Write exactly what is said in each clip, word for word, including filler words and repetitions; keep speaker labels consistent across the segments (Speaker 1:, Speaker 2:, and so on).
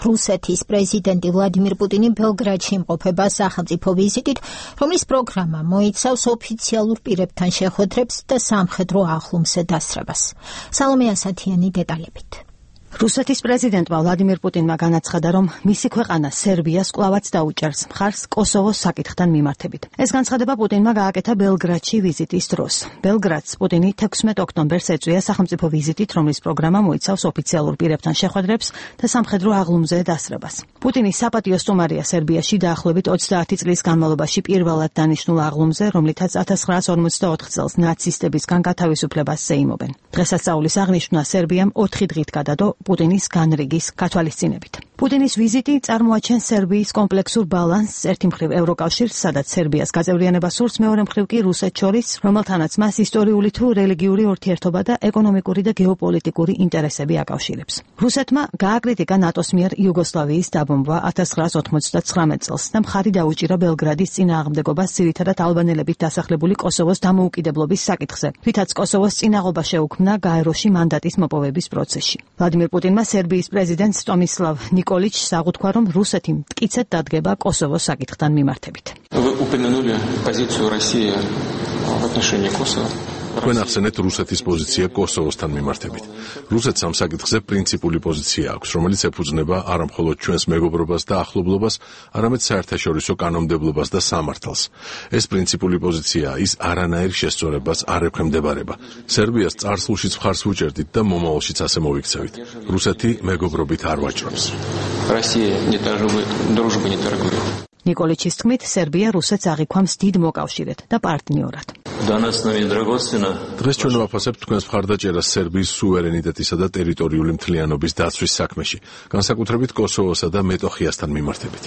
Speaker 1: რუსეთის პრეზიდენტი ვლადიმირ პუტინი ბელგრადში იმყოფება სახელმწიფო ვიზიტით, რომლის პროგრამა მოიცავს ოფიციალურ პირებთან შეხვედრებს და სამხედრო ახლომზე დასრებას. სალომე ასათიანი დეტალებით.
Speaker 2: რუსეთის პრეზიდენტმა ვლადიმირ პუტინმა განაცხადა, რომ მისი ქვეყანა სერბიას კვლავაც დაუჭერს მხარს კოსოვოს საკითხთან მიმართებით. ეს განცხადება პუტინმა გააკეთა ბელგრადში ვიზიტის დროს. ბელგრადს პუტინი თექვსმეტ ოქტომბერს ეწვია სახელმწიფო ვიზიტით, რომლის პროგრამა მოიცავს ოფიციალურ პირებთან შეხვედრებს და სამხედრო აღლუმზე დასრებას. პუტინი საპატიო სტუმარია სერბიაში დაახლოებით ოცდაათი წლის განმავლობაში პირველად დანიშნულ აღლუმზე, რომლითაც ათას ცხრაასი ორმოცდაოთხ წელს ნაცისტებისგან გათავისუფლებას ზეიმობენ. დღესასწაულის აღნიშვნა სერბიამ ოთხი დღით გადადო პუტინის განრიგის გათვალისწინებით. პუტინის ვიზიტი წარმოაჩენს სერბიის კომპლექსურ ბალანსს, ერთი მხრივ ევროკავშირს, სადაც სერბიას გაწევრიანება სურს, მეორე მხრივ კი რუსეთს შორის, რომელთანაც მას ისტორიული თუ რელიგიური ურთიერთობა და ეკონომიკური და გეოპოლიტიკური ინტერესები აკავშირებს. რუსეთმა გააკრიტიკა ნატოს მიერ იუგოსლავიის დაბომბვა ათას ცხრაასი ოცდათვრამეტ წელს და მხარი დაუჭირა ბელგრადის წინააღმდეგობას ძირითადად ალბანელებით დასახლებული კოსოვოს დამოუკიდებლობის საკითხზე, რითაც კოსოვოს წინაღობა შეუქმნა გაეროში მანდატის მოპოვების პროცესში. ვლადიმირ პუტინმა სერბიის პრეზიდენტს ტომისლავ ნიკოლიჩს აღუთქვა, რომ რუსეთი მტკიცედ დადგება კოსოვოს საკითხთან მიმართებით.
Speaker 3: თქვენ ახსენეთ რუსეთის პოზიცია კოსოვოსთან მიმართებით. რუსეთს ამ საკითხზე პრინციპული პოზიცია აქვს, რომელიც ეფუძნება არა მხოლოდ ჩვენს მეგობრობას და ახლობლობას, არამედ საერთაშორისო კანონმდებლობას და სამართალს. ეს პრინციპული პოზიციაა, ის არანაირ შესწორებას არ ექვემდებარება. სერბიას წარსულშიც მხარს ვუჭერდით და მომავალშიც ასე მოვიქცევით. რუსეთი მეგობრობით არ ვაჭრობს.
Speaker 2: ნიკოლიჩის თქმით, სერბია რუსეთს აღიქვამს დიდ მოკავშირედ და პარტნიორად.
Speaker 3: დღეს ჩვენ ვაფასებთ თქვენს მხარდაჭერას სერბიის სუვერენიტეტისა და ტერიტორიული მთლიანობის დაცვის საქმეში, განსაკუთრებით კოსოვოსა და მეტოხიასთან მიმართებით.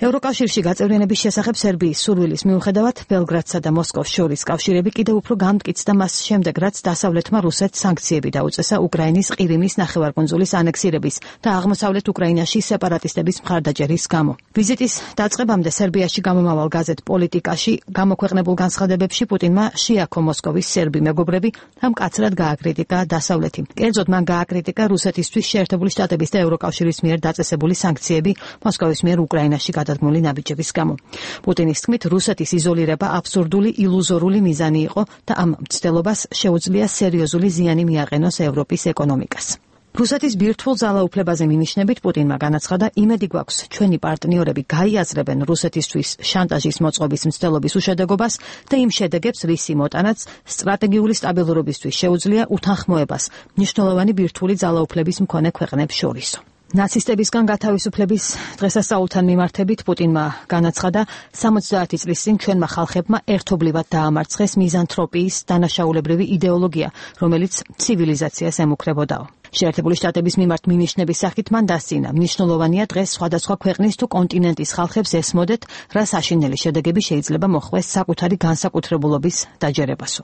Speaker 2: ევროკავშირში გაწევრიანების შესახებ სერბიის სურვილის მიუხედავად, ბელგრადსა და მოსკოვს შორის კავშირები კიდევ უფრო გამტკიცდა მას შემდეგ, რაც დასავლეთმა რუსეთს სანქციები დაუწესა უკრაინის ყირიმის ნახევარკუნძულის ანექსირების და აღმოსავლეთ უკრაინაში სეპარატისტების მხარდაჭერის გამო. ვიზიტის დაწყებამდე სერბიაში გამომავალ გაზეთ პოლიტიკაში გამოქვეყნებულ განცხადებებში პუტინმა შეაქო მოსკოვის სერბი მეგობრები და მკაცრად გააკრიტიკა დასავლეთი. კერძოდ მან გააკრიტიკა რუსეთისთვის შეერთებული შტატების და ევროკავშირის მიერ დაწესებული სანქციები მოსკოვის მიერ უკრაინაში გადადგმული ნაბიჯების გამო. პუტინის თქმით, რუსეთის იზოლირება აბსურდული ილუზორული მიზანი იყო და ამ მცდელობას შეუძლია სერიოზული ზიანი მიაყენოს ევროპის ეკონომიკას. რუსეთის ბირთვულ ძალაუფლებაზე მინიშნებით პუტინმა განაცხადა, იმედი გვაქვს, ჩვენი პარტნიორები გაიაზრებენ რუსეთისთვის შანტაჟის მოწყობის მცდელობის უშედეგობას და იმ შედეგებს, რისი მოტანაც სტრატეგიული სტაბილურობისთვის შეუძლია უთანხმოებას მნიშვნელოვანი ბირთვული ძალაუფლების მქონე ქვეყნებს შორისო. ნაცისტებისგან გათავისუფლების დღესასწაულთან მიმართებით პუტინმა განაცხადა, სამოცდაათი წლის წინ ჩვენმა ხალხებმა ერთობლივად დაამარცხეს მიზანთროპიის დანაშაულებრივი იდეოლოგია, რომელიც ცივილიზაციას ემუქრებოდაო. შეერთებული შტატების მიმართ მინიშნების სახით მან დასცინა, მნიშვნელოვანია დღეს სხვადასხვა ქვეყნის თუ კონტინენტის ხალხებს ესმოდეთ, რა საშინელი შედეგები შეიძლება მოხვდეს საკუთარი განსაკუთრებულობის დაჯერებასო.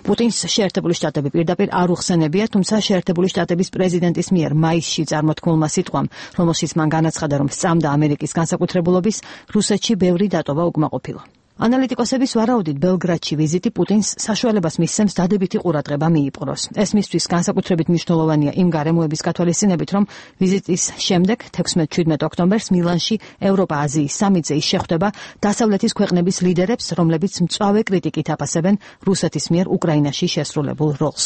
Speaker 2: პუტინს შეერთებული შტატები პირდაპირ არ უხსენებია, თუმცა შეერთებული შტატების პრეზიდენტის მიერ მაისში წარმოთქმულმა სიტყვამ, რომელშიც მან განაცხადა, რომ სწამდა ამერიკის განსაკუთრებულობის, რუსეთში ბევრი დატოვა უკმაყოფილო. ანალიტიკოსების ვარაუდით ბელგრადში ვიზიტი პუტინს საშუალებას მისცემს დადებითი ყურადღება მიიპყროს. ეს მისთვის განსაკუთრებით მნიშვნელოვანია იმ გარემოების გათვალისწინებით, რომ ვიზიტის შემდეგ თექვსმეტ შვიდმეტ ოქტომბერს მილანში ევროპა-აზიის სამიტზე ის შეხვდება დასავლეთის ქვეყნების ლიდერებს, რომლებიც მწვავე კრიტიკით აფასებენ რუსეთის მიერ უკრაინაში შესრულებულ როლს.